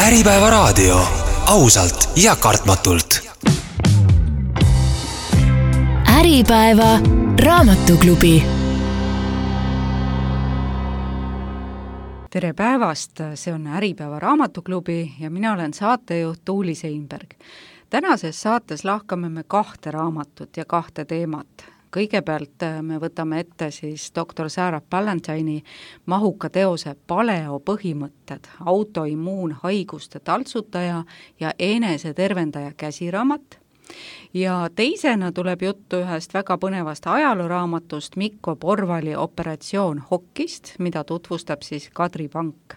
Äripäeva raadio. Ausalt ja kartmatult. Äripäeva raamatuklubi. Tere päevast, see on Äripäeva raamatuklubi ja mina olen saatejuht Tuuli Seinberg. Tänases saates lahkame me 2 raamatut ja 2 teemat. Kõigepealt me võtame ette siis doktor Sarah Ballantyne'i mahuka teose Paleo põhimõtted, autoimmuunhaiguste taltsutaja ja enesetervendaja käsiraamat. Ja teisena tuleb juttu ühest väga põnevast ajalooraamatust Mikko Porvali Operatsioon Hokkist, mida tutvustab siis Kadri Pank.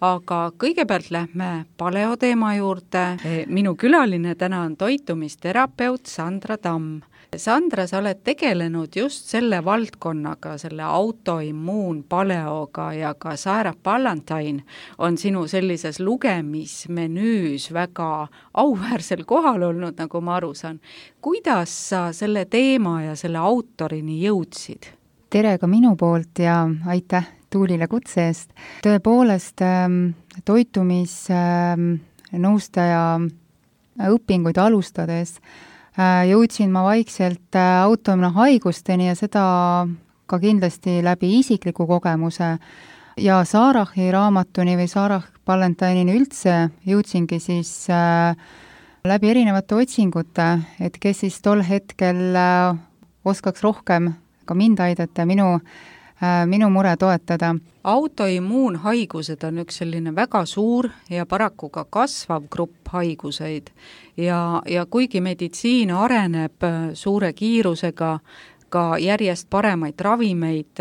Aga kõigepealt lähme paleo teema juurde. Minu külaline täna on toitumisterapeut Sandra Tamm. Sandra, sa oled tegelenud just selle valdkonnaga, selle autoimmuunpaleoga ja ka Sarah Ballantyne on sinu sellises lugemismenüüs väga auväärsel kohal olnud, nagu ma aru saan. Kuidas sa selle teema ja selle autorini jõudsid? Tere ka minu poolt ja aitäh Tuulile kutse eest. Tõepoolest toitumisnõustaja õpinguid alustades jõudsin ma vaikselt autoimmuunhaigusteni ja seda ka kindlasti läbi isikliku kogemuse. Ja Sarahi raamatuni või Sarah Ballantyne'ini üldse jõudsingi siis läbi erinevate otsingute, et kes siis tol hetkel oskaks rohkem ka mind aidata ja minu mure toetada. Autoimmuunhaigused on üks selline väga suur ja paraku ka kasvav grupp haiguseid ja kuigi meditsiin areneb suure kiirusega, ka järjest paremaid ravimeid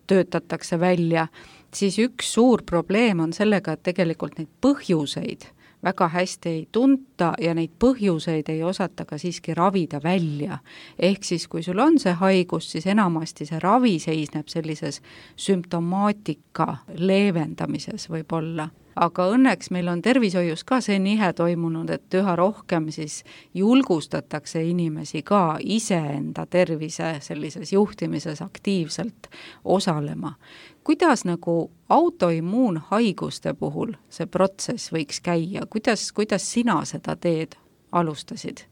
töötatakse välja, siis üks suur probleem on sellega, et tegelikult neid põhjuseid väga hästi ei tunta ja neid põhjuseid ei osata ka siiski ravida välja. Ehk siis, kui sul on see haigus, siis enamasti see ravi seisneb sellises sümptomaatika leevendamises võib-olla. Aga õnneks meil on tervishoius ka see nihe toimunud, et üha rohkem siis julgustatakse inimesi ka iseenda tervise sellises juhtimises aktiivselt osalema. Kuidas nagu autoimmuunhaiguste puhul see protsess võiks käia? Kuidas sina seda teed alustasid?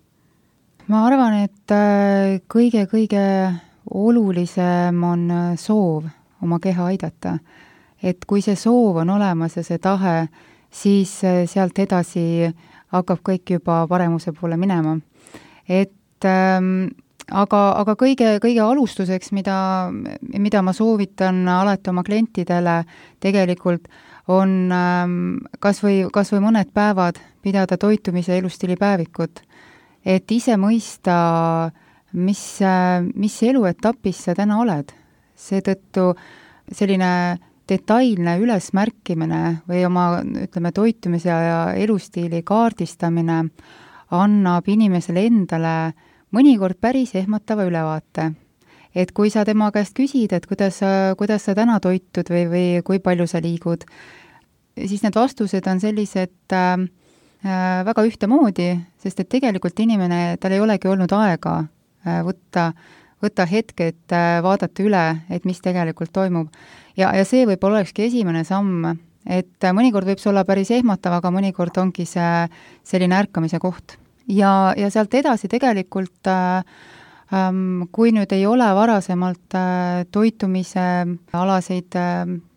Ma arvan, et kõige olulisem on soov oma keha aidata. Et kui see soov on olemas ja see tahe, siis sealt edasi hakkab kõik juba paremuse poole minema. Aga kõige alustuseks, mida ma soovitan alati oma klientidele tegelikult on kas või mõned päevad pidada toitumise elustiilipäevikut, et ise mõista, mis eluetapis sa täna oled. Seetõttu selline detailne ülesmärkimine või oma, toitumise ja elustiili kaardistamine annab inimesele endale mõnikord päris ehmatava ülevaate. Et kui sa tema käest küsid, et kuidas sa täna toitud või kui palju sa liigud, siis need vastused on sellised väga ühtemoodi, sest et tegelikult inimene, tal ei olegi olnud aega võtta hetke, et vaadata üle, et mis tegelikult toimub. Ja see võib-olla olekski esimene samm, et mõnikord võib see olla päris ehmatav, aga mõnikord ongi see selline ärkamise koht. Ja sealt edasi tegelikult, kui nüüd ei ole varasemalt toitumise alaseid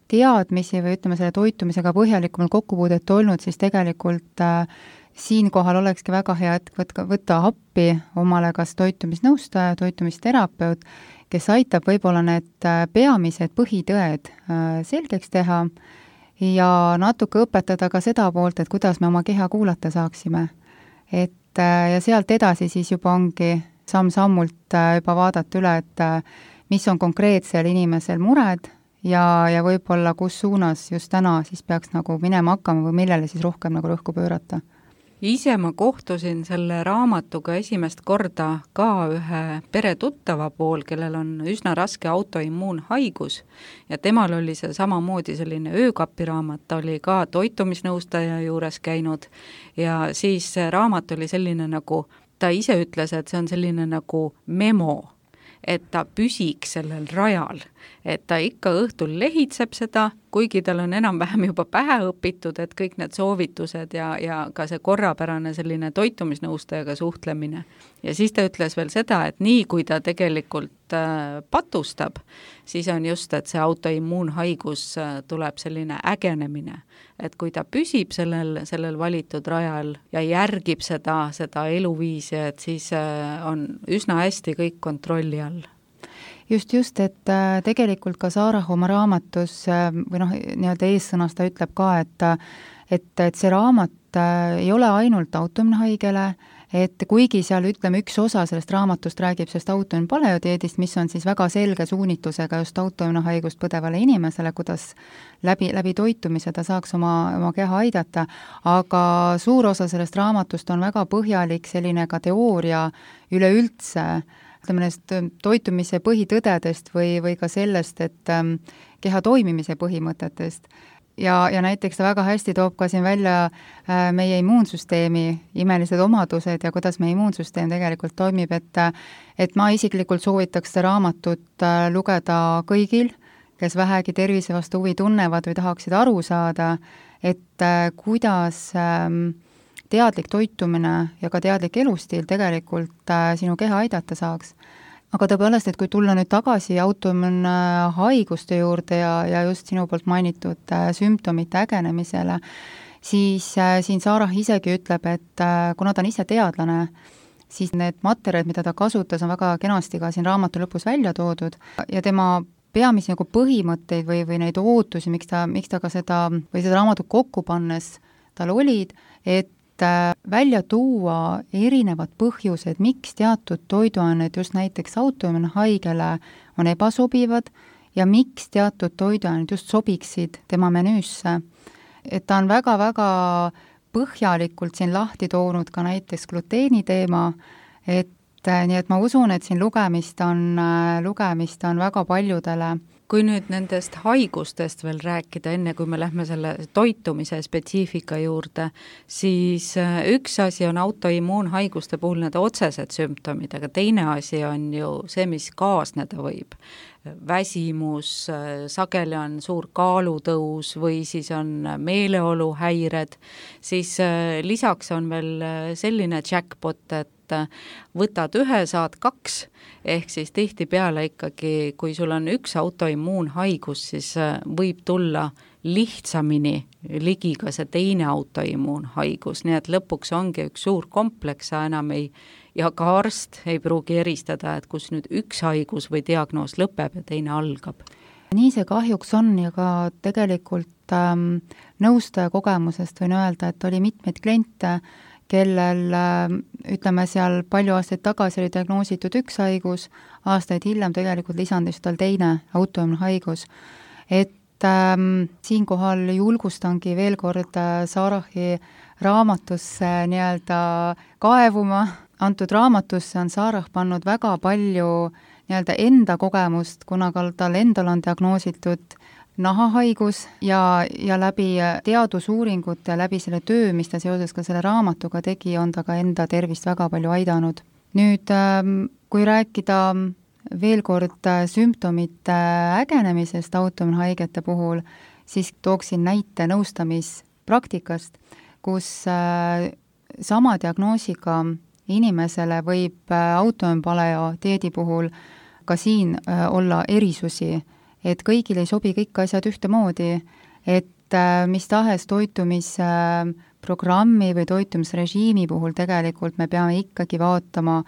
teadmisi või selle toitumisega põhjalikumalt kokkupuudet olnud, siis tegelikult siinkohal olekski väga hea, et võtta appi omale kas toitumisnõustaja, toitumisterapeut, kes aitab võib-olla need peamised põhitõed selgeks teha ja natuke õpetada ka seda poolt, et kuidas me oma keha kuulata saaksime. Ja sealt edasi siis juba ongi samm-sammult juba vaadata üle, et mis on konkreetsel inimesel mured ja võib-olla kus suunas just täna siis peaks nagu minema hakkama või millele siis rohkem nagu rõhku pöörata. Ise ma kohtusin selle raamatuga esimest korda ka ühe peretuttava pool, kellel on üsna raske autoimmuunhaigus ja temal oli see samamoodi selline öökapiraamat, ta oli ka toitumisnõustaja juures käinud ja siis see raamat oli selline nagu, ta ise ütles, et see on selline nagu memo, et ta püsiks sellel rajal, et ta ikka õhtul lehitseb seda kuigi tal on enam-vähem juba pähe õpitud, et kõik need soovitused ja ka see korrapärane selline toitumisnõustajaga suhtlemine. Ja siis ta ütles veel seda, et nii kui ta tegelikult patustab, siis on just, et see autoimmuunhaigus tuleb selline ägenemine. Et kui ta püsib sellel valitud rajal ja järgib seda eluviisi, et siis on üsna hästi kõik kontrolli all. Just, et tegelikult ka Sarah oma raamatus või nii-öelda eessõnas ta ütleb ka, et see raamat ei ole ainult autoimmuunhaigele, et kuigi seal üks osa sellest raamatust räägib sellest autoimmuunpaleodieedist, mis on siis väga selge suunitusega just autoimmuunhaigust põdevale inimesele, kuidas läbi toitumise ta saaks oma keha aidata, aga suur osa sellest raamatust on väga põhjalik selline ka teooria üleüldse, ütleme neist toitumise põhitõdedest või ka sellest, et keha toimimise põhimõtetest. Ja näiteks ta väga hästi toob ka siin välja meie immuunsüsteemi imelised omadused ja kuidas meie immuunsüsteem tegelikult toimib, et ma isiklikult soovitaks seda raamatut lugeda kõigil, kes vähegi tervise vastu huvi tunnevad või tahaksid aru saada, et kuidas teadlik toitumine ja ka teadlik elustiil tegelikult sinu keha aidata saaks. Aga tõepoolest, et kui tulla nüüd tagasi autoimmuunhaiguste juurde ja just sinu poolt mainitud sümptomite ägenemisele, siis siin Sarah isegi ütleb, et kuna ta on ise teadlane, siis need materjalid, mida ta kasutas, on väga kenasti ka siin raamatu lõpus välja toodud ja tema peamisi põhimõtteid või neid ootusi, miks ta ka seda raamatut kokku pannes tal olid, et välja tuua erinevad põhjused, miks teatud toiduained just näiteks autoimmuunhaigele on ebasobivad ja miks teatud toiduained just sobiksid tema menüüsse. Et ta on väga-väga põhjalikult siin lahti toonud ka näiteks gluteeni teema, nii et ma usun, et siin lugemist on väga paljudele. Kui nüüd nendest haigustest veel rääkida, enne kui me lähme selle toitumise spetsiifika juurde, siis üks asi on autoimmuunhaiguste puhul need otsesed sümptomid, aga teine asi on ju see, mis kaasneda võib. Väsimus, sageli on suur kaalutõus või siis on meeleoluhäired, siis lisaks on veel selline jackpot, et võtad ühe, saad kaks, ehk siis tihtipeale ikkagi, kui sul on üks autoimmuunhaigus, siis võib tulla lihtsamini ligi ka see teine autoimmuunhaigus, nii et lõpuks ongi üks suur kompleks, enam ja ka arst ei pruugi eristada, et kus nüüd üks haigus või diagnoos lõpeb ja teine algab. Nii see kahjuks on ja ka tegelikult nõustaja kogemusest võin öelda, et oli mitmeid kliente, kellel, ütleme seal palju aastaid tagasi oli diagnoositud üks haigus, aastaid hiljem tegelikult lisandis tal teine autoimmuunhaigus. Et siinkohal julgustangi veel kord Sarahi raamatusse nii-öelda kaevuma. Antud raamatusse on Sarah pannud väga palju nii-öelda enda kogemust, kuna tal endal on diagnoositud nahahaigus ja läbi teadusuuringute, läbi selle töö, mis ta seoses ka selle raamatuga tegi, on ta ka enda tervist väga palju aidanud. Nüüd, kui rääkida veel kord sümptomite ägenemisest autoimmuunhaigete puhul, siis tooksin näite nõustamispraktikast, kus sama diagnoosiga inimesele võib autoimmuunpaleodieedi puhul ka siin olla erisusi, et kõigil ei sobi kõik asjad ühtemoodi, et mis tahes toitumisprogrammi või toitumisrežiimi puhul tegelikult me peame ikkagi vaatama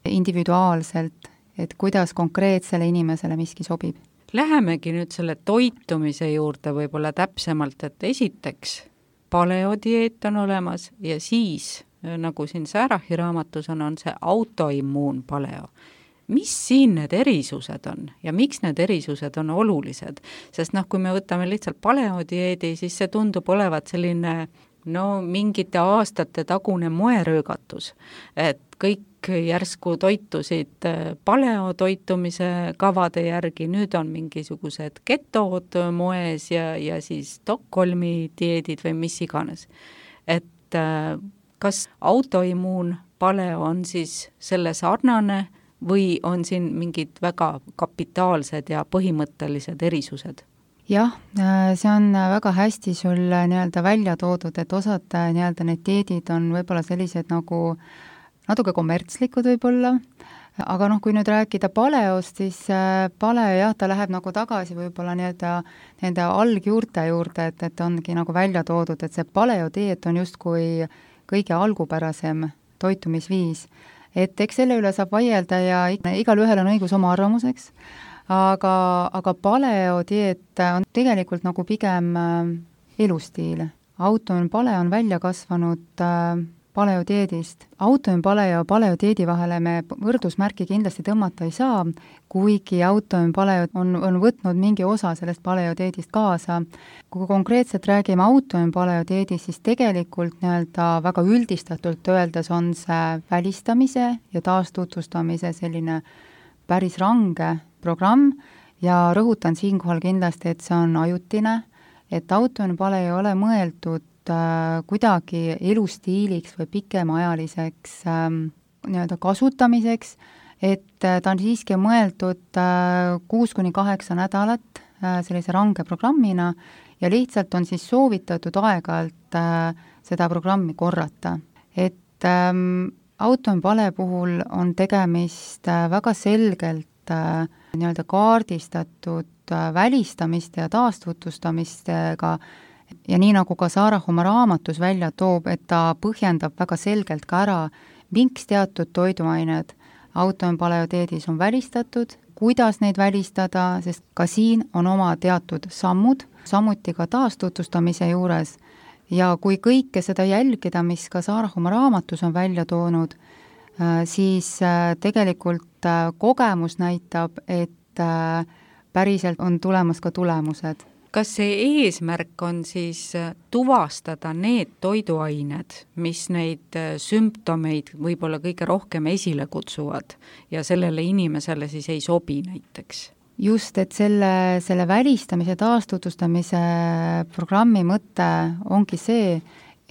individuaalselt, et kuidas konkreetsele inimesele miski sobib. Lähemegi nüüd selle toitumise juurde võib-olla täpsemalt, et esiteks paleodieet on olemas ja siis, nagu siin Sarahi raamatus on see autoimmuunpaleo. Mis siin need erisused on ja miks need erisused on olulised? Sest kui me võtame lihtsalt paleodieedi, siis see tundub olevat selline mingite aastate tagune moeröögatus, et kõik järsku toitusid paleotoitumise kavade järgi, nüüd on mingisugused ketod moes ja siis Stockholmi dieedid või mis iganes. Et kas autoimmuunpaleo on siis selle sarnane või on siin mingid väga kapitaalsed ja põhimõttelised erisused? jah, see on väga hästi sul nii-öelda välja toodud, et osad nii-öelda need dieedid on võib-olla sellised nagu natuke kommertslikud võib-olla, aga noh, kui nüüd rääkida paleost, siis paleo jah, ta läheb nagu tagasi võib-olla nii-öelda nende algjuurte juurde, et ongi nagu välja toodud, et see paleodieet on justkui kõige algupärasem toitumisviis. Et eks selle üle saab vaielda ja igal ühel on õigus oma arvamuseks, aga paleodieet on tegelikult nagu pigem elustiil. Autoimmune on välja kasvanud paleodieedist. Autoimmune ja paleodieedi vahele me võrdusmärki kindlasti tõmmata ei saa, kuigi autoimmune on võtnud mingi osa sellest paleodieedist kaasa. Kui konkreetselt räägime autoimmune siis tegelikult nii-öelda väga üldistatult öeldes on see välistamise ja taastutvustamise selline päris range programm ja rõhutan siinkohal kindlasti, et see on ajutine, et autoimmune ei ole mõeldud kuidagi elustiiliks või pikemaajaliseks nii-öelda kasutamiseks, et ta on siiski mõeldud 6-8 nädalat sellise range programmina ja lihtsalt on siis soovitatud aeg-ajalt seda programmi korrata. Et autoimmune puhul on tegemist väga selgelt nii-öelda kaardistatud välistamiste ja taastutlustamistega ja nii nagu ka Sarah oma raamatus välja toob, et ta põhjendab väga selgelt ka ära, miks teatud toiduained autoimmune on välistatud, kuidas neid välistada, sest ka siin on oma teatud sammud, samuti ka taastutvustamise juures. Ja kui kõike seda jälgida, mis ka Sarah oma raamatus on välja toonud, siis tegelikult kogemus näitab, et päriselt on tulemas ka tulemused. Kas see eesmärk on siis tuvastada need toiduained, mis neid sümptomeid võib-olla kõige rohkem esile kutsuvad ja sellele inimesele siis ei sobi näiteks? Just, et selle välistamise taastutvustamise programmi mõte ongi see,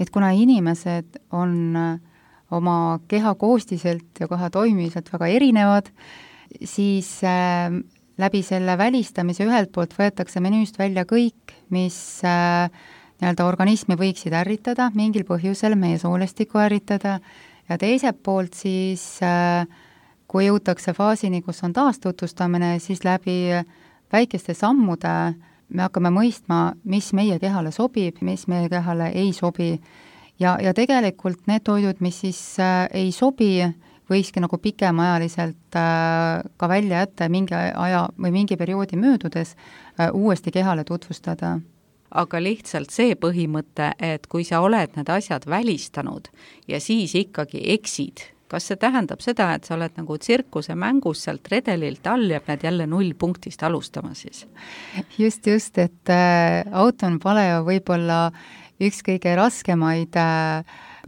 et kuna inimesed on oma keha koostiselt ja koha toimimiselt väga erinevad, siis läbi selle välistamise ühelt poolt võetakse menüüst välja kõik, mis nii-öelda organismi võiksid ärritada, mingil põhjusel meie soolestikku ärritada, ja teiselt poolt siis, kui jõutakse faasini, kus on taastutlustamine, siis läbi väikeste sammude me hakkame mõistma, mis meie kehale sobib, mis meie kehale ei sobi. Ja tegelikult need toidud, mis siis ei sobi, võikski nagu pikemaajaliselt ka välja jätta mingi aja või mingi perioodi möödudes uuesti kehale tutvustada. Aga lihtsalt see põhimõte, et kui sa oled need asjad välistanud ja siis ikkagi eksid, kas see tähendab seda, et sa oled nagu tsirkuse mängus sealt redelilt all ja pead jälle 0 punktist alustama siis? Just, et autoimmune võib-olla üks kõige raskemaid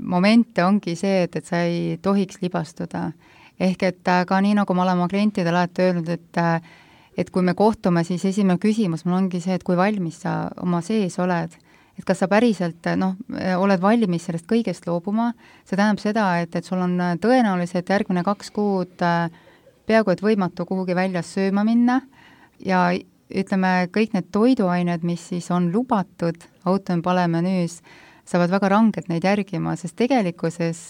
momente ongi see, et sa ei tohiks libastuda. Ehk et ka nii, nagu ma olen oma klientidele alati öelnud, et kui me kohtume, siis esimene küsimus mul ongi see, et kui valmis sa oma sees oled. Et kas sa päriselt oled valmis sellest kõigest loobuma, see tähendab seda, et sul on tõenäoliselt järgmine 2 kuud peaaegu et võimatu kuhugi väljas sööma minna ja ütleme, kõik need toiduained, mis siis on lubatud autoimmune menüüs, saavad väga rangelt neid järgima, sest tegelikkuses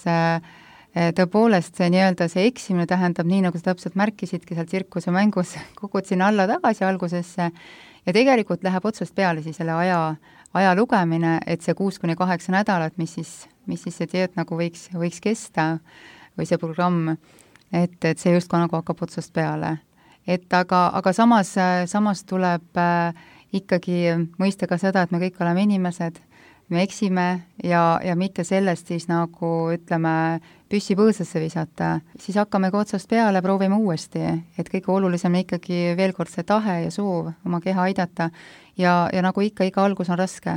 tõepoolest see nii-öelda see eksimine tähendab nii, nagu sa täpselt märkisidki seal tsirkuse mängus, kukud sinna alla tagasi algusesse ja tegelikult läheb otsast peale siis selle aja lugemine, et see 6-8 nädalat, mis siis see dieet nagu võiks kesta või see programm, et see justkui nagu hakkab otsast peale. Et aga samas tuleb ikkagi mõista ka seda, et me kõik oleme inimesed, me eksime ja mitte sellest siis nagu ütleme püssi põõsasse visata, siis hakkame ka otsast peale, proovime uuesti, et kõige olulisem ikkagi veel kord see tahe ja soov oma keha aidata ja nagu ikka, iga algus on raske,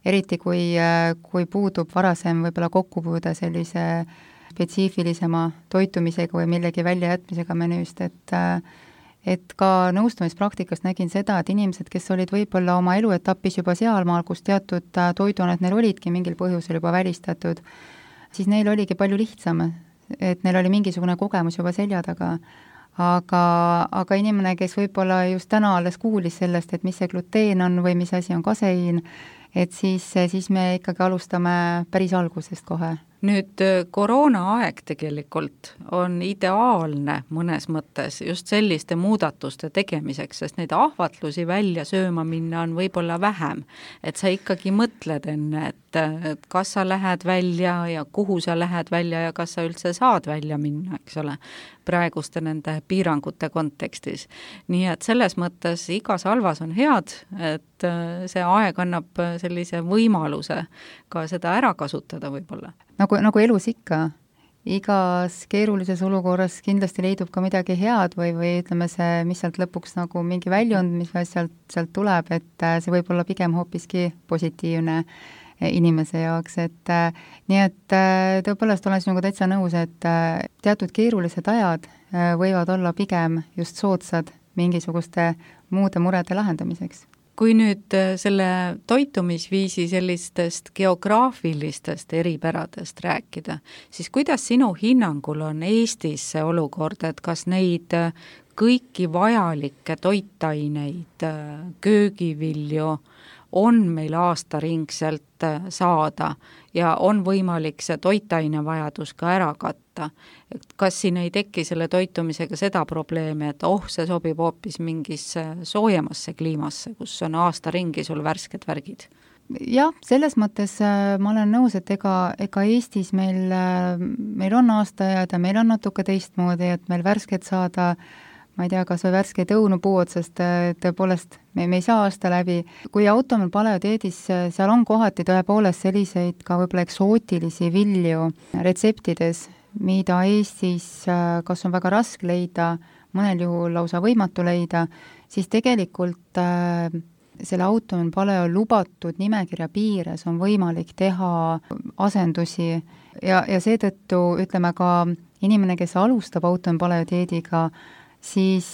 eriti kui puudub varasem võib-olla kokkupuude sellise spetsiifilisema toitumisega või millegi väljajätmisega menüüst, et ka nõustamispraktikast nägin seda, et inimesed, kes olid võib-olla oma eluetapis juba sealmaal, kus teatud toiduained neil olidki mingil põhjusel juba välistatud, siis neil oligi palju lihtsam, et neil oli mingisugune kogemus juba selja taga. aga inimene, kes võib-olla just täna alles kuulis sellest, et mis see gluteen on või mis asi on kaseiin, et siis me ikkagi alustame päris algusest kohe. Nüüd koroonaaeg tegelikult on ideaalne mõnes mõttes just selliste muudatuste tegemiseks, sest neid ahvatlusi välja sööma minna on võib-olla vähem. Et sa ikkagi mõtled enne, et kas sa lähed välja ja kuhu sa lähed välja ja kas sa üldse saad välja minna, eks ole, praeguste nende piirangute kontekstis. Nii et selles mõttes igas halvas on head, et see aeg annab sellise võimaluse ka seda ära kasutada võib-olla. Nagu elus ikka, igas keerulises olukorras kindlasti leidub ka midagi head või ütleme see, mis sealt lõpuks nagu mingi väljund, mis sealt tuleb, et see võib olla pigem hoopiski positiivne inimese jaoks, et nii et tõepoolest olen sinuga täitsa nõus, et teatud keerulised ajad võivad olla pigem just soodsad mingisuguste muude murede lahendamiseks. Kui nüüd selle toitumisviisi sellistest geograafilistest eripäradest rääkida, siis kuidas sinu hinnangul on Eestis see olukord, et kas neid kõiki vajalikke toitaineid, köögivilju on meil aastaringselt saada ja on võimalik see toitainevajadus ka ära katta. Kas siin ei teki selle toitumisega seda probleemi, et see sobib hoopis mingisse soojemasse kliimasse, kus on aasta ringi sul värsked värgid? Jah, selles mõttes ma olen nõus, et ega Eestis meil on aastaajad ja meil on natuke teistmoodi, et meil värsket saada, ma ei tea, kas või värskeid õunu puu otsast, tõepoolest me ei saa aasta läbi. Kui automal paleodieedis, seal on kohati tõepoolest selliseid ka võib-olla eksootilisi vilju retseptides, mida Eestis kas on väga raske leida, mõnel juhul lausa võimatu leida, siis tegelikult selle automal paleo lubatud nimekirja piires on võimalik teha asendusi ja seetõttu ütleme ka inimene, kes alustab automal paleodieediga, siis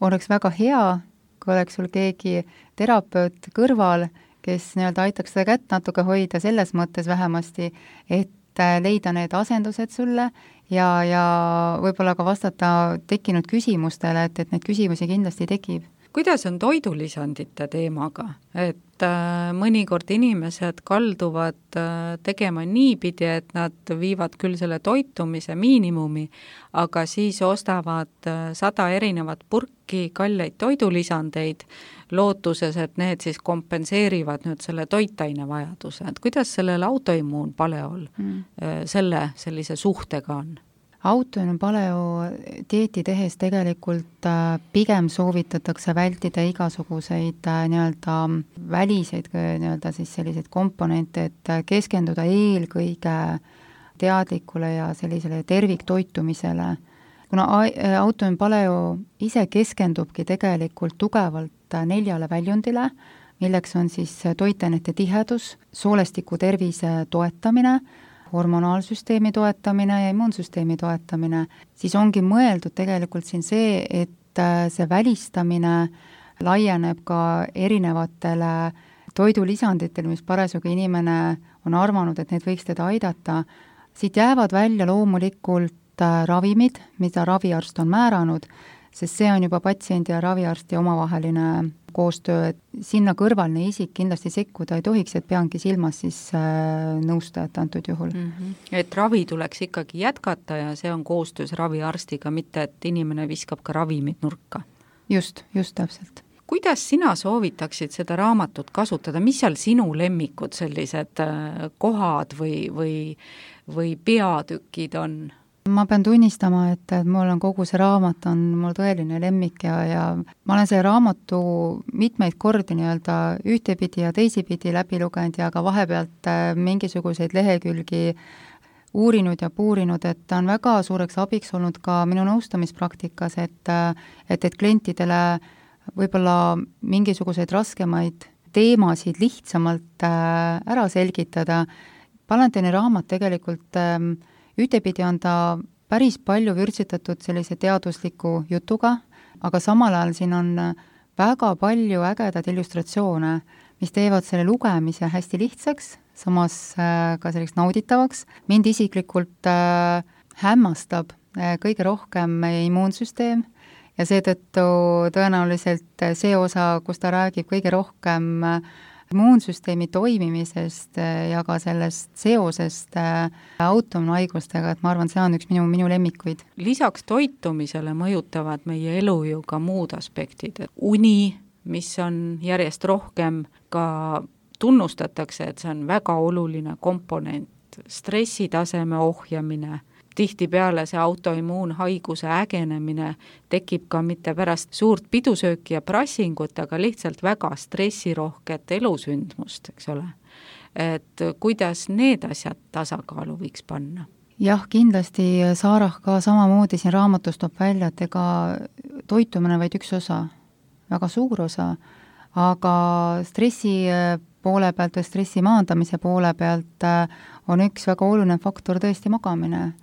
oleks väga hea, kui oleks sul keegi terapeut kõrval, kes nii-öelda aitaks seda kätt natuke hoida selles mõttes vähemasti, et leida need asendused sulle ja võib-olla ka vastata tekkinud küsimustele, et neid küsimusi kindlasti tekib. Kuidas on toidulisandite teemaga? Et mõnikord inimesed kalduvad tegema niipidi, et nad viivad küll selle toitumise miinimumi, aga siis ostavad 100 erinevat purki kalleid toidulisandeid, lootuses, et need siis kompenseerivad nüüd selle toitainevajaduse. Et kuidas sellel autoimmuunpaleol sellise suhtega on? Autoimmuun paleo dieeti tehes tegelikult pigem soovitatakse vältida igasuguseid nii-öelda väliseid nii-öelda siis selliseid komponente, et keskenduda eelkõige teadlikule ja sellisele terviktoitumisele. Kuna autoimmuun paleo ise keskendubki tegelikult tugevalt 4 väljundile, milleks on siis toitainete tihedus, soolestiku tervise toetamine, hormonaalsüsteemi toetamine ja immuunsüsteemi toetamine, siis ongi mõeldud tegelikult siin see, et see välistamine laieneb ka erinevatele toidulisanditele, mis parasjagu inimene on arvanud, et need võiks teda aidata. Siit jäävad välja loomulikult ravimid, mida raviarst on määranud, sest see on juba patsiendi ja raviarsti omavaheline koostöö, et sinna kõrvalne isik kindlasti sekkuda ei tohiks, et peangi silmas siis nõustajat antud juhul. Et ravi tuleks ikkagi jätkata ja see on koostöös raviarstiga, mitte et inimene viskab ka ravimid nurka. Just täpselt. Kuidas sina soovitaksid seda raamatut kasutada, mis seal sinu lemmikud sellised kohad või peatükid on? Ma pean tunnistama, et mul on kogu see raamat on mul tõeline lemmik ja ma olen selle raamatu mitmeid kordi nii-öelda ühtepidi ja teisipidi läbi lugenud ja ka vahepealt mingisuguseid lehekülgi uurinud ja puurinud, et ta on väga suureks abiks olnud ka minu nõustamispraktikas, et klientidele võib-olla mingisuguseid raskemaid teemasid lihtsamalt ära selgitada. Palanteeni raamat tegelikult ühtepidi on ta päris palju vürtsitatud sellise teadusliku jutuga, aga samal ajal siin on väga palju ägedaid illustratsioone, mis teevad selle lugemise hästi lihtsaks, samas ka selleks nauditavaks. Mind isiklikult hämmastab kõige rohkem meie immuunsüsteem ja seetõttu tõenäoliselt see osa, kus ta räägib kõige rohkem immuunsüsteemi toimimisest ja ka sellest seosest autoimmuunhaigustega, et ma arvan, see on üks minu lemmikuid. Lisaks toitumisele mõjutavad meie elu ju ka muud aspektid, et uni, mis on järjest rohkem ka tunnustatakse, et see on väga oluline komponent, stressitaseme ohjamine, tihtipeale see autoimmuunhaiguse ägenemine tekib ka mitte pärast suurt pidusööki ja prassingut, aga lihtsalt väga stressirohket elusündmust, eks ole. Et kuidas need asjad tasakaalu võiks panna? Jah, kindlasti Saarah ka samamoodi siin raamatus toob välja, et ega toitumine vaid üks osa, väga suur osa, aga stressi poole pealt või stressi maandamise poole pealt on üks väga oluline faktor tõesti magamine.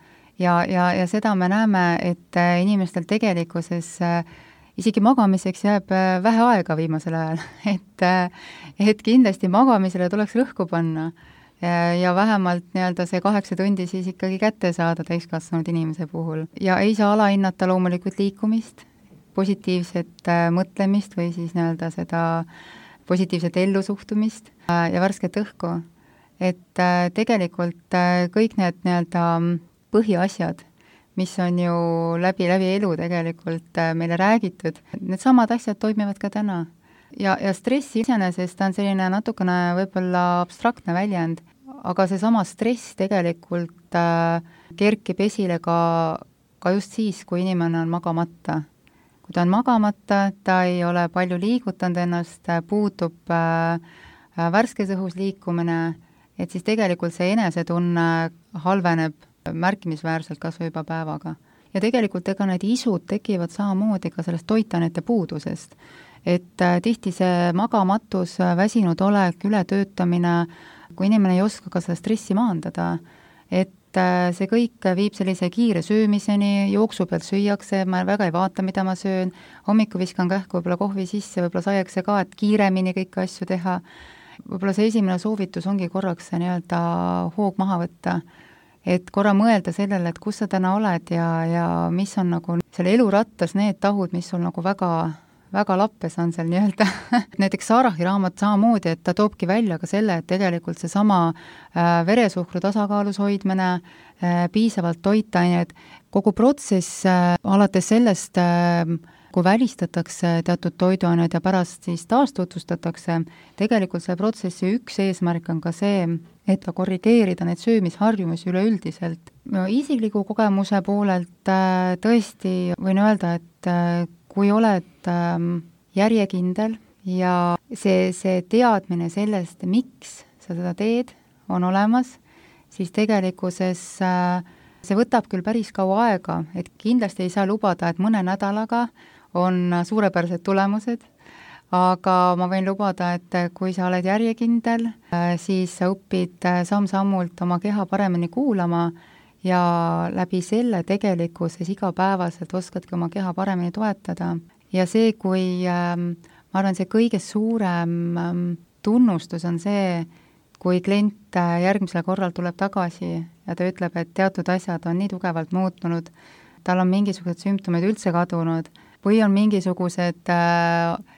Ja seda me näeme, et inimestel tegelikkuses isegi magamiseks jääb vähe aega viimasel ajal, et kindlasti magamisele tuleks rõhku panna ja vähemalt nii-öelda see 8 tundi siis ikkagi kätte saada täiskasvanud inimese puhul. Ja ei saa alahinnata loomulikult liikumist, positiivset mõtlemist või siis nii-öelda seda positiivset ellusuhtumist ja värsket õhku. Et tegelikult kõik need nii-öelda põhiasjad, mis on ju läbi elu tegelikult meile räägitud, need samad asjad toimivad ka täna. Ja stress iseenesest on selline natukene võib-olla abstraktne väljend, aga seesama stress tegelikult kerkib esile ka just siis, kui inimene on magamata. Kui ta on magamata, ta ei ole palju liigutanud ennast, puutub värskes õhus liikumine, et siis tegelikult see enesetunne halveneb märkimisväärselt kas või juba päevaga. Ja tegelikult ega need isud tekivad samamoodi ka sellest toitainete puudusest. Et tihti see magamatus, väsinud olek, ületöötamine, kui inimene ei oska ka seda stressi maandada, et see kõik viib sellise kiire söömiseni, jooksu pealt süüakse, ma väga ei vaata, mida ma söön, hommiku viskan kähku võib-olla kohvi sisse, võib-olla saiakse ka, et kiiremini kõiki asju teha. Võib-olla see esimene soovitus ongi korraks see nii-öelda hoog maha võtta, et korra mõelda sellele, et kus sa täna oled ja mis on nagu selle elurattas need tahud, mis sul nagu väga lappes on seal nii-öelda. Näiteks Saarahi raamat samamoodi, et ta toobki välja ka selle, et tegelikult see sama veresuhkru tasakaalus hoidmine, piisavalt toitained, kogu protsess alates sellest, kui välistatakse teatud toiduained ja pärast siis taastutvustatakse, tegelikult see protsessi üks eesmärk on ka see, et korrigeerida neid söömisharjumusi üleüldiselt. Isikliku kogemuse poolelt tõesti võin öelda, et kui oled järjekindel ja see teadmine sellest, miks sa seda teed, on olemas, siis tegelikkuses see võtab küll päris kaua aega, et kindlasti ei saa lubada, et mõne nädalaga on suurepärased tulemused, aga ma võin lubada, et kui sa oled järjekindel, siis sa õpid samm-sammult oma keha paremini kuulama ja läbi selle tegelikkuses igapäevaselt oskadki oma keha paremini toetada. Ja see, kui ma arvan, see kõige suurem tunnustus on see, kui klient järgmisel korral tuleb tagasi ja ta ütleb, et teatud asjad on nii tugevalt muutunud, tal on mingisugused sümptomid üldse kadunud või on mingisugused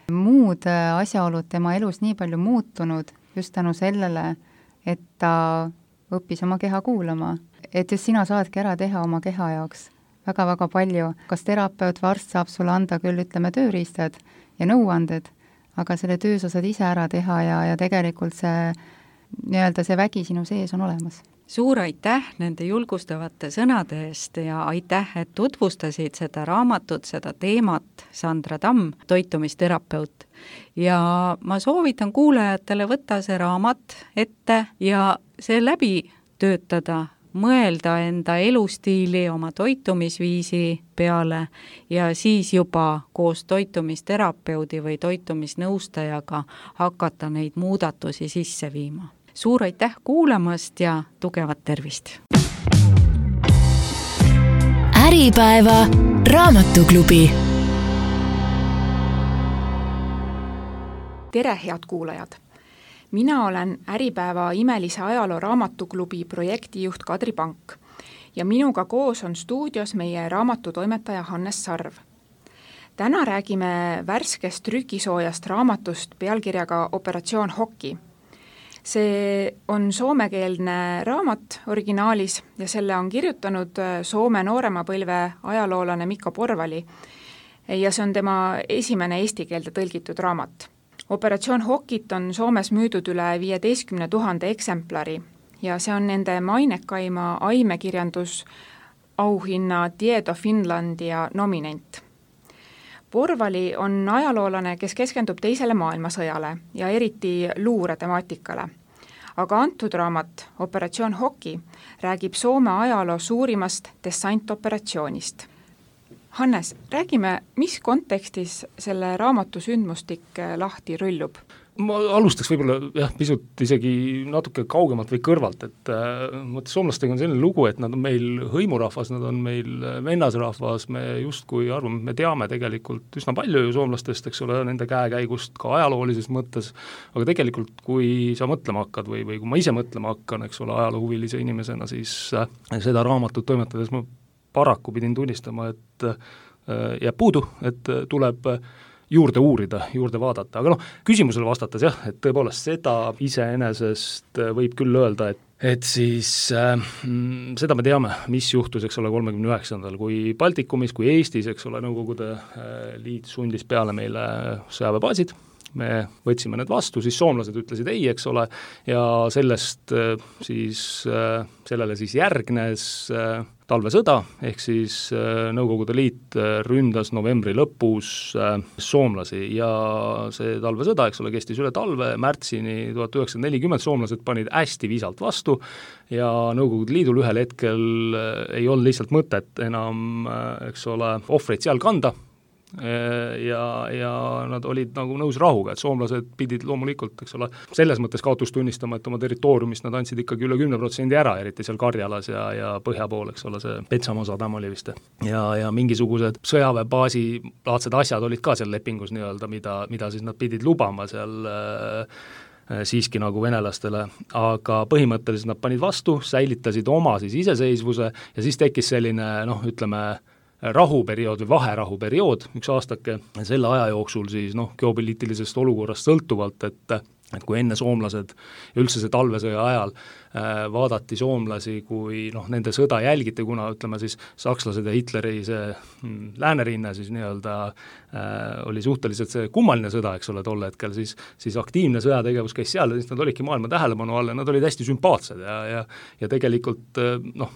muud asjaolud tema elus nii palju muutunud just tänu sellele, et ta õppis oma keha kuulama. Et just sina saadki ära teha oma keha jaoks väga-väga palju. Kas terapeut või arst saab sulle anda küll, ütleme, tööriistad ja nõuanded, aga selle töö sa saad ise ära teha ja tegelikult see, nii-öelda see vägi sinu sees on olemas. Suur aitäh nende julgustavate sõnade eest ja aitäh, et tutvustasid seda raamatut, seda teemat, Sandra Tamm, toitumisterapeut. Ja ma soovitan kuulajatele võtta see raamat ette ja see läbi töötada, mõelda enda elustiili, oma toitumisviisi peale ja siis juba koos toitumisterapeudi või toitumisnõustajaga hakata neid muudatusi sisse viima. Suur aitäh kuulamast ja tugevat tervist! Äripäeva raamatuklubi. Tere, head kuulajad! Mina olen Äripäeva imelise ajaloo raamatuklubi projektijuht Kadri Pank ja minuga koos on stuudios meie raamatutoimetaja Hannes Sarv. Täna räägime värskest trükisoojast raamatust pealkirjaga Operatsioon Hoki. See on soomekeelne raamat originaalis ja selle on kirjutanud Soome noorema põlve ajaloolane Mikko Porvali ja see on tema esimene eesti keelde tõlgitud raamat. Operatsioon Hokit on Soomes müüdud üle 15 000 eksemplari ja see on nende mainekaima aimekirjandusauhinna Tieto Finlandia nominent. Porvali on ajaloolane, kes keskendub teisele maailmasõjale ja eriti luure temaatikale. Aga antud raamat, Operatsioon Hoki, räägib Soome ajaloo suurimast dessantoperatsioonist. Hannes, räägime, mis kontekstis selle raamatu sündmustik lahti rüllub? Ma alustaks võib-olla pisut isegi natuke kaugemalt või kõrvalt, et soomlastega on selline lugu, et nad on meil hõimurahvas, nad on meil vennasrahvas, me justkui arvame, me teame tegelikult üsna palju ju soomlastest, eks ole, nende käekäigust ka ajaloolises mõttes, aga tegelikult kui sa mõtlema hakkad või kui ma ise mõtlema hakkan, eks ole, ajaloohuvilise inimesena, siis seda raamatut toimetades ma paraku pidin tunnistama, et jääb puudu, et tuleb juurde uurida, juurde vaadata, aga küsimusele vastates jah, et tõepoolest seda iseenesest võib küll öelda, et siis seda me teame, mis juhtus, eks ole, 39. kui Baltikumis, kui Eestis, eks ole, Nõukogude Liit sundis peale meile sõjaväebaasid, me võtsime need vastu, siis soomlased ütlesid ei, eks ole, ja sellele siis järgnes talvesõda, ehk siis Nõukogude Liit ründas novembri lõpus soomlasi ja see talvesõda, eks ole, kestis üle talve, märtsini 1940 soomlased panid hästi viisalt vastu ja Nõukogude Liidul ühel hetkel ei olnud lihtsalt mõtet enam, eks ole, ohvreid seal kanda, ja nad olid nagu nõus rahuga, et soomlased pidid loomulikult, eks ole, selles mõttes kaotust tunnistama, et oma territooriumist nad andsid ikkagi üle 10% ära, eriti seal Karjalas ja põhja pool, eks ole, see Petsamoo sadam oli vist. Ja mingisugused sõjaväebaasi laadsed asjad olid ka seal lepingus nii-öelda, mida siis nad pidid lubama seal siiski nagu venelastele, aga põhimõtteliselt nad panid vastu, säilitasid oma siis iseseisvuse ja siis tekkis selline, ütleme, rahuperiood või vaherahuperiood, üks aastake, selle aja jooksul siis geopoliitilisest olukorrast sõltuvalt, et kui enne soomlased ja üldse see talvesõja ajal vaadati soomlasi, kui nende sõda jälgiti, kuna ütleme siis sakslased ja Hitleri see läänerinne siis nii-öelda oli suhteliselt see kummaline sõda, eks ole, tol hetkel, siis aktiivne sõjategevus käis seal ja siis nad olidki maailma tähelepanu all ja nad olid hästi sümpaatsed ja tegelikult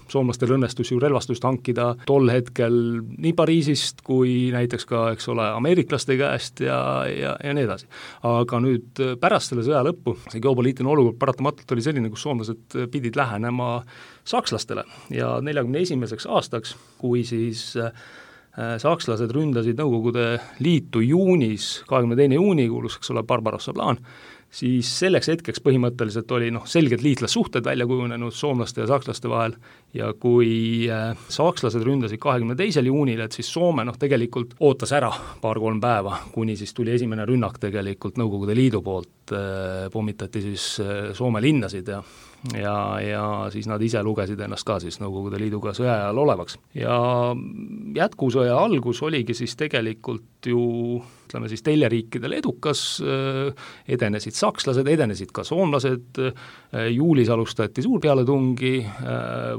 soomlastel õnnestus ju relvastust hankida tol hetkel nii Pariisist kui näiteks ka, eks ole, ameeriklaste käest ja nii edasi. Aga nüüd pärast selle sõja lõppu see geopoliitiline olukord paratamatult oli selline, kus soomlased pidid lähenema sakslastele ja 41. aastaks, kui siis sakslased ründasid Nõukogude Liitu juunis, 22. juuni kuulus, eks ole, Barbarossa plaan, siis selleks hetkeks põhimõtteliselt oli selged liitlassuhted välja kujunenud soomlaste ja sakslaste vahel ja kui sakslased ründasid 22. juunil, et siis Soome tegelikult ootas ära 2-3 päeva, kuni siis tuli esimene rünnak tegelikult Nõukogude Liidu poolt, pommitati siis Soome linnasid ja siis nad ise lugesid ennast ka siis Nõukogude Liiduga sõja ajal olevaks. Ja jätkusõja algus oligi siis tegelikult ju, ütleme siis teljeriikidel edukas, edenesid sakslased, edenesid ka soomlased, juulis alustati suurpealetungi,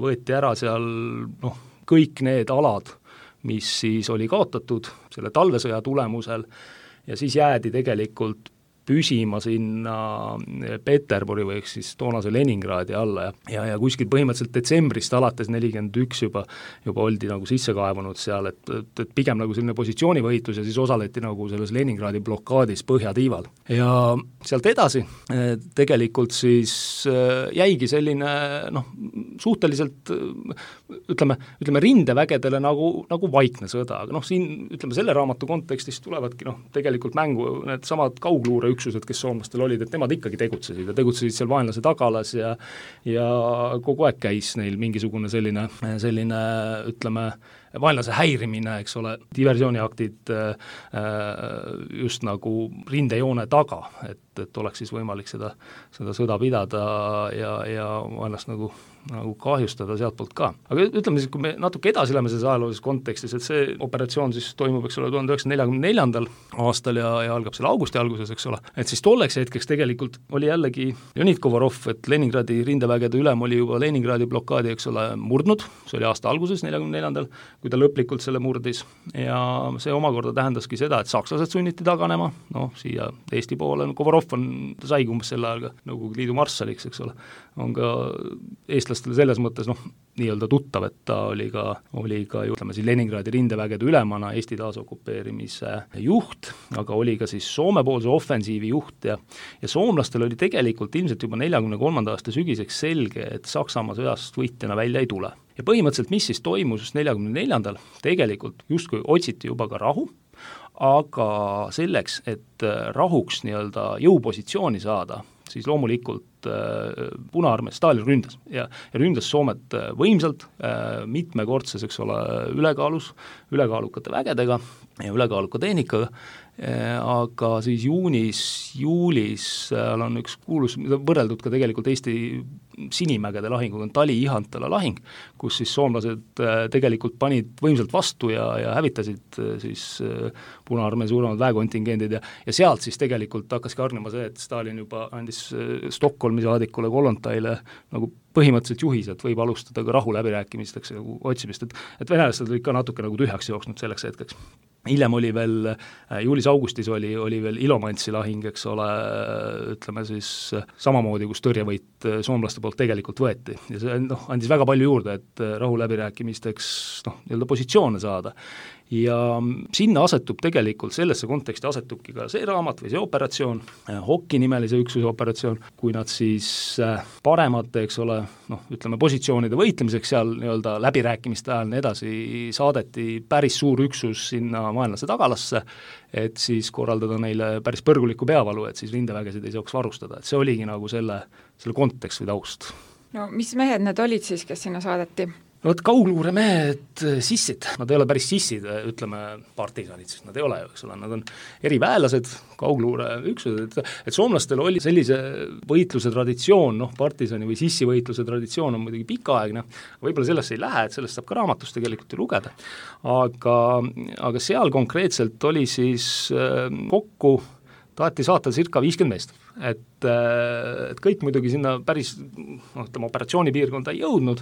võeti ära seal kõik need alad, mis siis oli kaotatud selle talvesõja tulemusel ja siis jäädi tegelikult püsima sinna Peterburi või siis toonase Leningradi alla ja kuskil põhimõtteliselt detsembrist alates 41 juba oldi nagu sisse kaevunud seal, et pigem nagu selline positsioonivõitlus ja siis osaleti nagu selles Leningradi blokaadis põhjatiival. Ja sealt edasi tegelikult siis jäigi selline suhteliselt ütleme rindevägedele nagu vaikne sõda, aga siin ütleme selle raamatu kontekstis tulevadki tegelikult mängu need samad kaugluureüksused, kes soomlastel olid, et nemad ikkagi tegutsesid seal vaenlase tagalas ja kogu aeg käis neil mingisugune selline ütleme vaenlase häirimine, eks ole, diversiooniaktid just nagu rindejoone taga, et oleks siis võimalik seda sõda pidada ja vaenlast nagu kahjustada sealtpoolt ka. Aga ütleme siis, kui me natuke edasi läheme selles ajaloolises kontekstis, et see operatsioon siis toimub, eks ole, 1944. aastal ja algab selle augusti alguses, eks ole, et siis tolleks hetkeks tegelikult oli jällegi Leonid Kovarov, et Leningradi rindevägede ülem oli juba Leningradi blokaadi, eks ole, murdnud, see oli aasta alguses, 44. kui ta lõplikult selle murdis ja see omakorda tähendaski seda, et sakslased sunniti taganema, siia Eesti poole, Kovarov ta saigi umbes selle ajaga Nõukogude Liidu marssaliks, eks ole, on ka eestlastele selles mõttes nii-öelda tuttav, et ta oli ka ütleme siis Leningradi rindevägede ülemana Eesti taasokupeerimise juht, aga oli ka siis Soome-poolse ofensiivi juht ja soomlastel oli tegelikult ilmselt juba 43. aasta sügiseks selge, et Saksamaa sõjast võitjana välja ei tule. Ja põhimõtteliselt, mis siis toimus 44. tegelikult justkui otsiti juba ka rahu, aga selleks, et rahuks nii-öelda jõupositsiooni saada, siis loomulikult Punaarmee Stalin ründas ja ründas Soomet võimsalt, mitmekordses, eks ole, ülekaalukate vägedega ja ülekaaluka tehnikaga, aga siis juulis on üks kuulus, mida võrreldud ka tegelikult Eesti Sinimägede lahinguga, on Tali-Ihantala lahing, kus siis soomlased tegelikult panid võimsalt vastu ja hävitasid siis Punaarmee suuremad väekontingendid ja sealt siis tegelikult hakkaski hargnema see, et Stalin juba andis Stockholmi saadikule Kollontaile nagu põhimõtteliselt juhis, et võib alustada ka rahuläbirääkimisteks ja otsimist, et venelased olid ka natuke nagu tühjaks jooksnud selleks hetkeks. Hiljem oli veel, juulis-augustis oli veel Ilomantsi lahing, eks ole, ütleme siis samamoodi, kus tõrjevõit soomlaste poolt tegelikult võeti ja see andis väga palju juurde, et rahuläbirääkimisteks nii-öelda positsioone saada. Ja sinna asetub tegelikult, sellesse konteksti asetubki ka see raamat või see operatsioon, Hokki nimelise üksuse operatsioon, kui nad siis paremate, eks ole, ütleme positsioonide võitlemiseks seal nii-öelda läbirääkimiste ajal edasi saadeti päris suur üksus sinna vaenlase tagalasse, et siis korraldada neile päris põrgulikku peavalu, et siis rindevägesid ei saaks varustada, et see oligi nagu selle kontekst või taust. No mis mehed need olid siis, kes sinna saadeti? Vot kaugluuremehed, sissid, nad ei ole päris sissid, ütleme partisanid, siis nad ei ole, eks ole, nad on eriväelased, kaugluureüksused, et soomlastel oli sellise võitluse traditsioon, partisani või sissivõitluse traditsioon on muidugi pikaaegne, võib-olla sellesse ei lähe, et sellest saab ka raamatust tegelikult ju lugeda, aga seal konkreetselt oli siis kokku taheti saata circa 50 meest, et kõik muidugi sinna päris operatsioonipiirkonda ei jõudnud,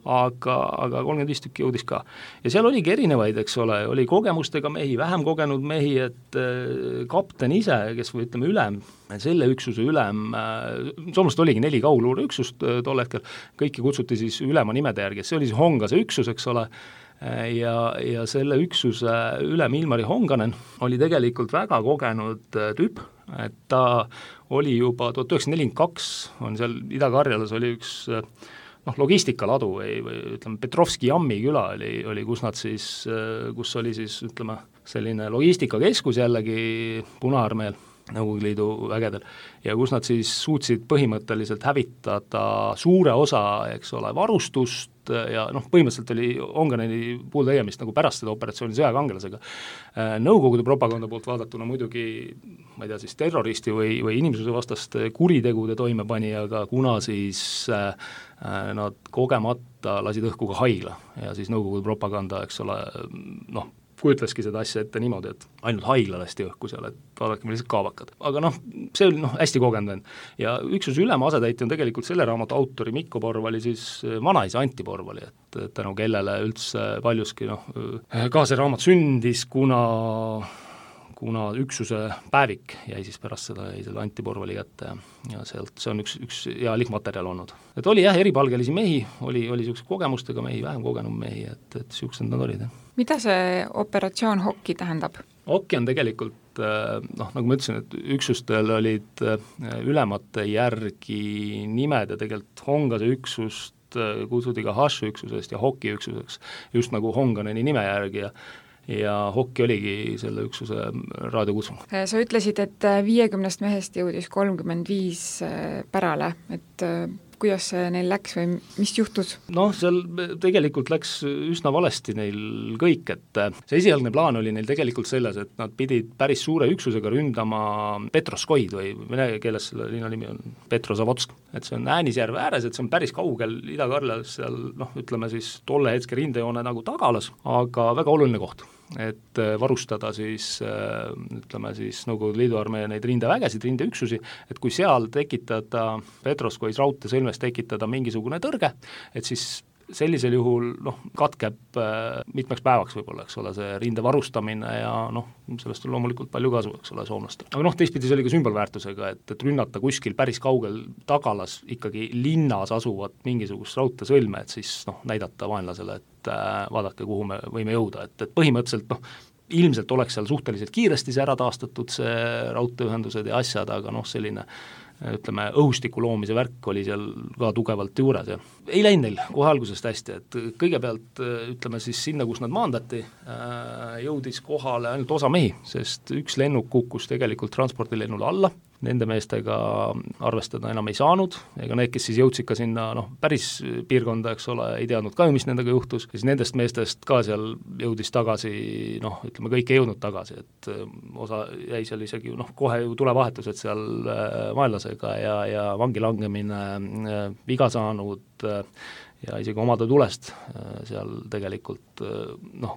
aga 35 tükki jõudis ka. Ja seal oligi erinevaid, eks ole, oli kogemustega mehi, vähem kogenud mehi, et kapten ise, kes või ütleme ülem, selle üksuse ülem, soomlast oligi 4 kaugluureüksust tol hetkel, kõiki kutsuti siis ülema nimede järgi, see oli siis Hongase üksus, eks ole, ja selle üksuse ülem Ilmari Honganen oli tegelikult väga kogenud tüüp, et ta oli juba 1942, on seal Ida-Karjalas oli üks logistikaladu või ütleme, Petrovski Jammi küla oli kus nad siis, kus oli siis ütleme, selline logistikakeskus jällegi Punaarmeel, Nõukogude Liidu vägedel, ja kus nad siis suutsid põhimõtteliselt hävitada suure osa, eks ole, varustust ja põhimõtteliselt oli Honganeni puhul tegemist nagu pärast seda operatsiooni sõjakangelasega. Nõukogude propaganda poolt vaadatuna muidugi, ma ei tea, siis terroristi või inimsuse vastaste kuritegude toimepanijaga, kuna siis nad kogemata lasid õhku ka haigla ja siis Nõukogude propaganda, eks ole, kujutleski seda asja ette niimoodi, et ainult haigla lasti õhku seal, et vaadake, millised kaavakad. Aga see oli hästi kogenud. Ja üksuse ülema asetäitja on tegelikult selle raamatu autori Mikko Porvali siis vanaisa Antti Porvali, et tänu kellele üldse paljuski ka see raamat sündis, kuna üksuse päevik jäi siis pärast seda selle Antti Porvali kätte ja sealt see on üks hea lihmaterjal olnud. Et oli eripalgelisi mehi, oli niisuguse kogemustega mehi, vähem kogenud mehi, et niisugused nad olid. Mida see operatsioon Hokki tähendab? Hokki on tegelikult, nagu ma ütlesin, et üksustel olid ülemate järgi nimed ja tegelikult Hongase üksust kutsuti ka Hashu üksusest ja Hokki üksuseks, just nagu Honganeni nime järgi ja Hokki oligi selle üksuse raadiokutsung. Sa ütlesid, et 50 mehest jõudis 35 pärale, et kuidas see neil läks või mis juhtus? Noh, seal tegelikult läks üsna valesti neil kõik, et see esialgne plaan oli neil tegelikult selles, et nad pidid päris suure üksusega ründama Petroskoid või vene keeles selle linna nimi on Petrozavodsk, et see on Äänisjärve ääres, et see on päris kaugel Ida-Karlas seal ütleme siis tolle hetke rindejoone nagu tagalas, aga väga oluline koht, et varustada siis ütleme siis Nõukogude Liidu armee neid rindevägesid, rindeüksusi, et kui seal tekitada Petroskois raudteesõlmes tekitada mingisugune tõrge, et siis sellisel juhul katkeb mitmeks päevaks võib-olla, eks ole, see rinde varustamine ja sellest on loomulikult palju kasu, eks ole, soomlastel. Aga teistpidi see oli ka sümbolväärtusega, et rünnata kuskil päris kaugel tagalas ikkagi linnas asuvat mingisugust raudteesõlme, et siis näidata vaenlasele, et vaadake, kuhu me võime jõuda, et põhimõtteliselt ilmselt oleks seal suhteliselt kiiresti see ära taastatud, see raudteeühendused ja asjad, aga selline ütleme, õhustiku loomise värk oli seal ka tugevalt juures ja ei läinud neil kohe algusest hästi, et kõigepealt ütleme siis sinna, kus nad maandati, jõudis kohale ainult osa mehi, sest üks lennuk kukkus tegelikult transpordilennule alla, nende meestega arvestada enam ei saanud, ega need, kes siis jõudsid ka sinna päris piirkonda, eks ole, ei teadnud ka ju, mis nendega juhtus, siis nendest meestest ka seal jõudis tagasi, ütleme, kõik ei jõudnud tagasi, et osa jäi seal isegi kohe ju tulevahetused seal vaenlasega ja vangi langemine, viga saanud ja isegi omade tulest seal tegelikult,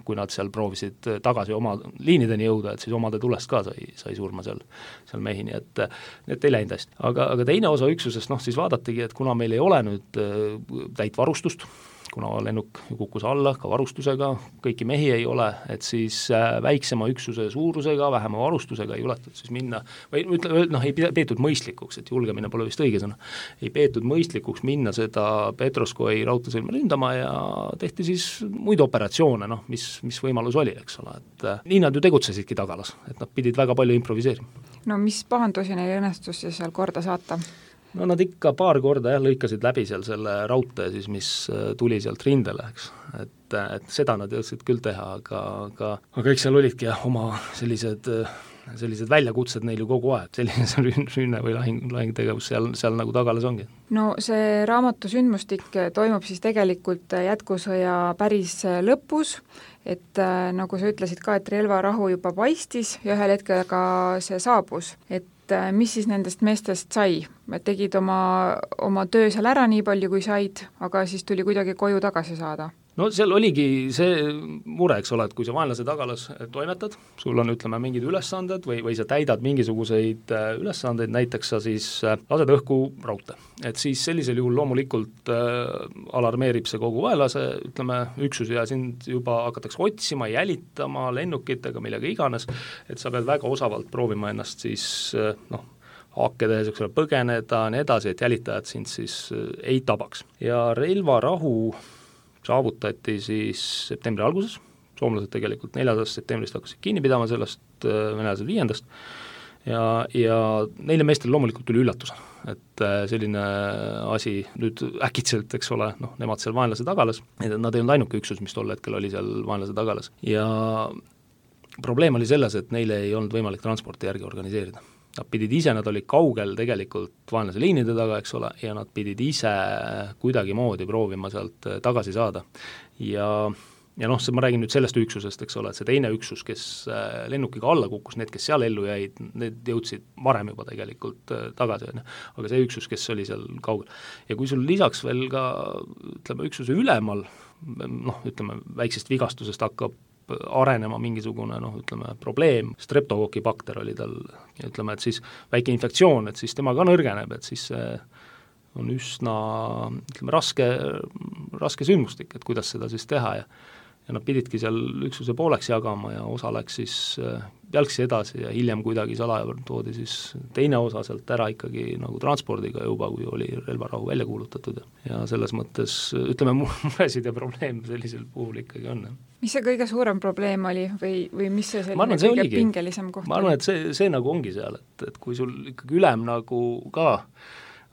kui nad seal proovisid tagasi oma liinideni jõuda, et siis omade tulest ka sai surma seal mehi, nii et ei läinud hästi. Aga teine osa üksusest, siis vaadatigi, et kuna meil ei ole nüüd täit varustust, kuna lennuk kukkus alla ka varustusega, kõiki mehi ei ole, et siis väiksema üksuse suurusega, vähema varustusega ei juletud siis minna, või ei peetud mõistlikuks, et julgemine pole vist õige sõna, ei peetud mõistlikuks minna seda Petroskoi raudteesõlme ründama ja tehti siis muid operatsioone, mis võimalus oli, eks ole, et nii nad ju tegutsesidki tagalas, et nad pidid väga palju improviseerima. No mis pahandusi neil õnnestus siis seal korda saata? No nad ikka paar korda lõikasid läbi seal selle raudtee siis, mis tuli sealt rindele, eks. Et seda nad jõudsid küll teha, aga eks seal olidki oma sellised väljakutsed neil ju kogu aeg, selline rünne või lahingtegevus seal nagu tagalas ongi. No see raamatu sündmustik toimub siis tegelikult jätkusõja päris lõpus, et nagu sa ütlesid ka, et relvarahu juba paistis ja ühel hetkel ka see saabus, et mis siis nendest meestest sai? Tegid oma töö seal ära nii palju, kui said, aga siis tuli kuidagi koju tagasi saada? No seal oligi see mure, eks ole, et kui sa vaenlase tagalas toimetad, sul on ütleme mingid ülesanded või sa täidad mingisuguseid ülesandeid, näiteks sa siis lased õhku raudtee. Et siis sellisel juhul loomulikult alarmeerib see kogu vaenlase, ütleme, üksus ja sind juba hakatakse otsima, jälitama lennukitega, millega iganes, et sa pead väga osavalt proovima ennast siis haake tehes, eks ole, põgeneda, nii edasi, et jälitajad sind siis ei tabaks. Ja relvarahu saavutati siis septembri alguses, soomlased tegelikult 4. septembrist hakkasid kinni pidama sellest, venelased 5. ja neile meestel loomulikult tuli üllatus, et selline asi nüüd äkitselt, eks ole, nemad seal vaenlase tagalas, nad ei olnud ainuke üksus, mis tol hetkel oli seal vaenlase tagalas ja probleem oli selles, et neile ei olnud võimalik transporti järgi organiseerida. Nad pidid ise, nad olid kaugel tegelikult vaenlase liinide taga, eks ole, ja nad pidid ise kuidagimoodi proovima sealt tagasi saada. Ja ma räägin nüüd sellest üksusest, eks ole, et see teine üksus, kes lennukiga alla kukkus, need, kes seal ellu jäid, need jõudsid varem juba tegelikult tagasi, aga see üksus, kes oli seal kaugel. Ja kui sul lisaks veel ka, ütleme, üksuse ülemal, ütleme, väiksest vigastusest hakkab arenema mingisugune, ütleme, probleem, streptokokki bakter oli tal, ütleme, et siis väike infektsioon, et siis tema ka nõrgeneb, et siis see on üsna, ütleme, raske sündmustik, et kuidas seda siis teha ja nad pididki seal üksuse pooleks jagama ja osa läks siis jalgsi edasi ja hiljem kuidagi salaja toodi siis teine osa sealt ära ikkagi nagu transpordiga juba, kui oli relvarahu välja kuulutatud ja selles mõttes, ütleme, muresid ja probleem sellisel puhul ikkagi on. Mis see kõige suurem probleem oli või mis see selline kõige pingelisem koht? Ma arvan, et see nagu ongi seal, et kui sul ikkagi ülem nagu ka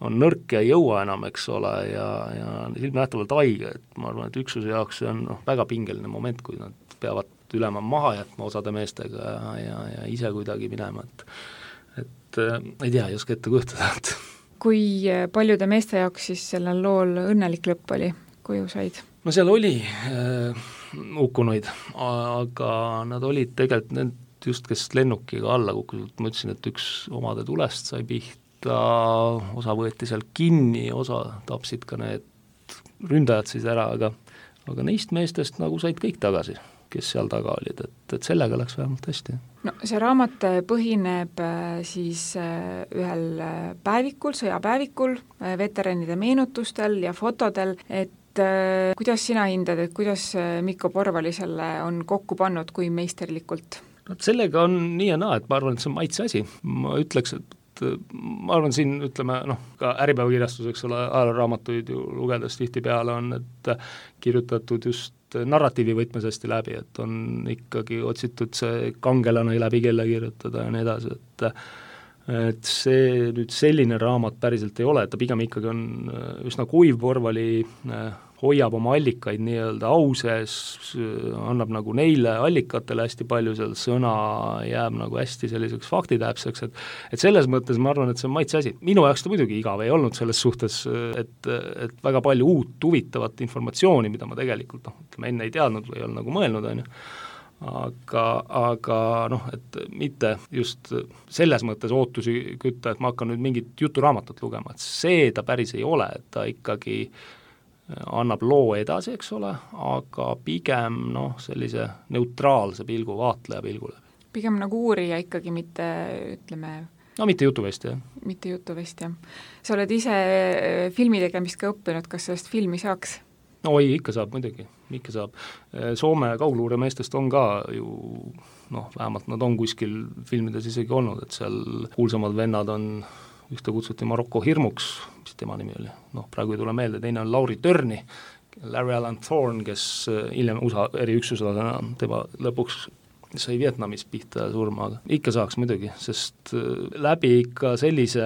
on nõrk ja ei jõua enam, eks ole, ja ilmnähtavalt haige, et ma arvan, et üksuse jaoks see on väga pingeline moment, kui nad peavad ülema maha jätma osade meestega ja ise kuidagi minema, et ei tea, ei oska ette kujutada, et Kui paljude meeste jaoks siis sellel lool õnnelik lõpp oli, kuju said? No seal oli hukkunuid, aga nad olid tegelikult need just, kes lennukiga alla kukkusid. Ma ütlesin, et üks omade tulest sai pihta, osa võeti seal kinni, osa tapsid ka need ründajad siis ära, aga neist meestest nagu said kõik tagasi, kes seal taga olid, et sellega läks vähemalt hästi. No see raamat põhineb siis ühel päevikul, sõjapäevikul, veteranide meenutustel ja fotodel, et kuidas sina hindad, et kuidas Mikko Porvali selle on kokku pannud kui meisterlikult? No, sellega on nii ja naa, et ma arvan, et see on maitse asi. Ma ütleks, et ma arvan siin, ütleme, ka Äripäeva kirjastus, eks ole, ajaraamatuid ju lugedes tihtipeale on, et kirjutatud just narratiivi võtmes hästi läbi, et on ikkagi otsitud see kangelane läbi kelle kirjutada ja nii edasi, et see nüüd selline raamat päriselt ei ole, et ta pigem ikkagi on üsna kuiv. Porvali hoiab oma allikaid nii-öelda au sees, annab nagu neile allikatele hästi palju, seal sõna jääb nagu hästi selliseks faktitäpseks, et selles mõttes ma arvan, et see on maitse asi. Minu jaoks ta muidugi igav ei olnud selles suhtes, et väga palju uut huvitavat informatsiooni, mida ma tegelikult enne ei teadnud või ei olnud nagu mõelnud, on ju. Aga et mitte just selles mõttes ootusi kütta, et ma hakkan nüüd mingit juturaamatut lugema, et see ta päris ei ole, et ta ikkagi annab loo edasi, eks ole, aga pigem sellise neutraalse pilgu, vaatleja pilgule. Pigem nagu uurija ikkagi, mitte ütleme... No mitte jutuvest, jah. Mitte jutuvest, jah. Sa oled ise filmi tegemist ka õppinud, kas sellest filmi saaks? No oi, ikka saab muidugi, ikka saab. Soome kaugluuremeestest on ka ju, vähemalt nad on kuskil filmides isegi olnud, et seal kuulsamad vennad on, ühte kutsuti Marokko hirmuks, mis tema nimi oli, praegu ei tule meelde, teine on Lauri Törni, Larry Alan Thorne, kes hiljem USA eriüksuslasena tema lõpuks sai Vietnamis pihta surma, aga ikka saaks muidugi, sest läbi ikka sellise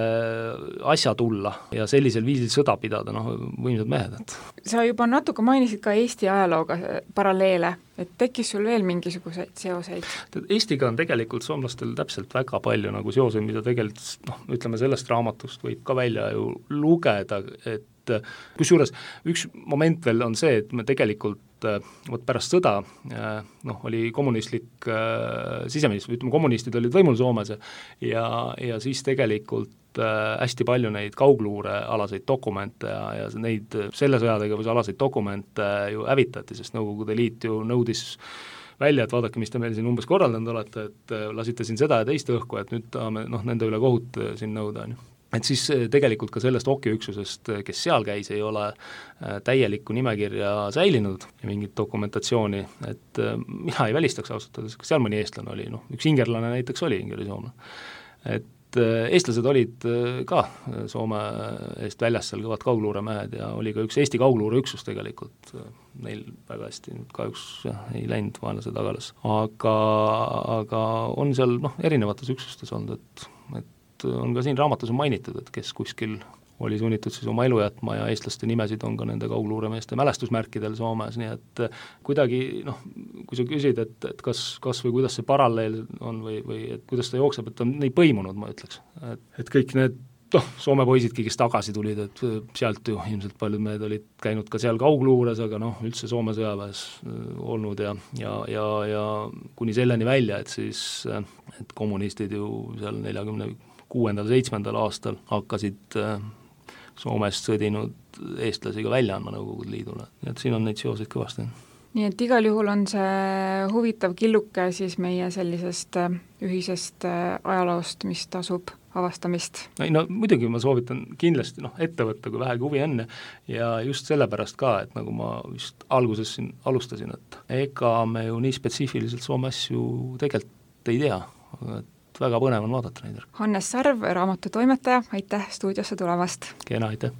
asja tulla ja sellisel viisil sõda pidada, võimsad mehed. Et sa juba natuke mainisid ka Eesti ajalooga paralleele, et tekkis sul veel mingisuguseid seoseid? Eestiga on tegelikult soomlastel täpselt väga palju nagu seoseid, mida tegelikult, ütleme sellest raamatust võib ka välja ju lugeda, et kusjuures üks moment veel on see, et me tegelikult pärast sõda oli kommunistlik siseminister, ütleme kommunistid olid võimul Soomes ja siis tegelikult hästi palju neid kaugluurealaseid dokumente ja neid selle sõjategevuse alaseid dokumente ju hävitati, sest Nõukogude Liit ju nõudis välja, et vaadake, mis te meil siin umbes korraldanud olete, et lasite siin seda ja teist õhku, et nüüd tahame nende üle kohut siin nõuda, on ju. Et siis tegelikult ka sellest okiüksusest, kes seal käis, ei ole täielikku nimekirja säilinud ja mingit dokumentatsiooni, et mina ei välistaks ausalt, kas seal mõni eestlane oli, üks ingerlane näiteks oli, ingerisoomne. Et eestlased olid ka Soome eest väljas seal kõvad kaugluuremehed ja oli ka üks Eesti kaugluureüksus tegelikult, neil väga hästi kahjuks ei läinud vaenlase tagalas, aga on seal erinevates üksustes olnud, et on ka siin raamatus on mainitud, et kes kuskil oli sunnitud siis oma elu jätma ja eestlaste nimesid on ka nende kaugluuremeeste mälestusmärkidel Soomes, nii et kuidagi, kui sa küsid, et kas või kuidas see paralleel on või et kuidas ta jookseb, et on nii põimunud, ma ütleks. Et kõik need Soome poisidki, kes tagasi tulid, et sealt ju ilmselt paljud mehed olid käinud ka seal kaugluures, aga üldse Soome sõjaväes olnud ja kuni selleni välja, et siis et kommunistid ju seal 46.–47. aastal hakkasid Soomest sõdinud eestlasi ka välja andma Nõukogude Liidule. Nii et siin on neid seoseid kõvasti. Nii et igal juhul on see huvitav killuke siis meie sellisest ühisest ajaloost, mis tasub avastamist. No muidugi ma soovitan kindlasti ette võtta, kui vähegi huvi enne ja just sellepärast ka, et nagu ma vist alguses siin alustasin, et ega me ju nii spetsiifiliselt Soome asju tegelikult ei tea, et väga põnev on vaadata neid. Hannes Sarv, raamatutoimetaja, aitäh stuudiosse tulemast! Kena, aitäh!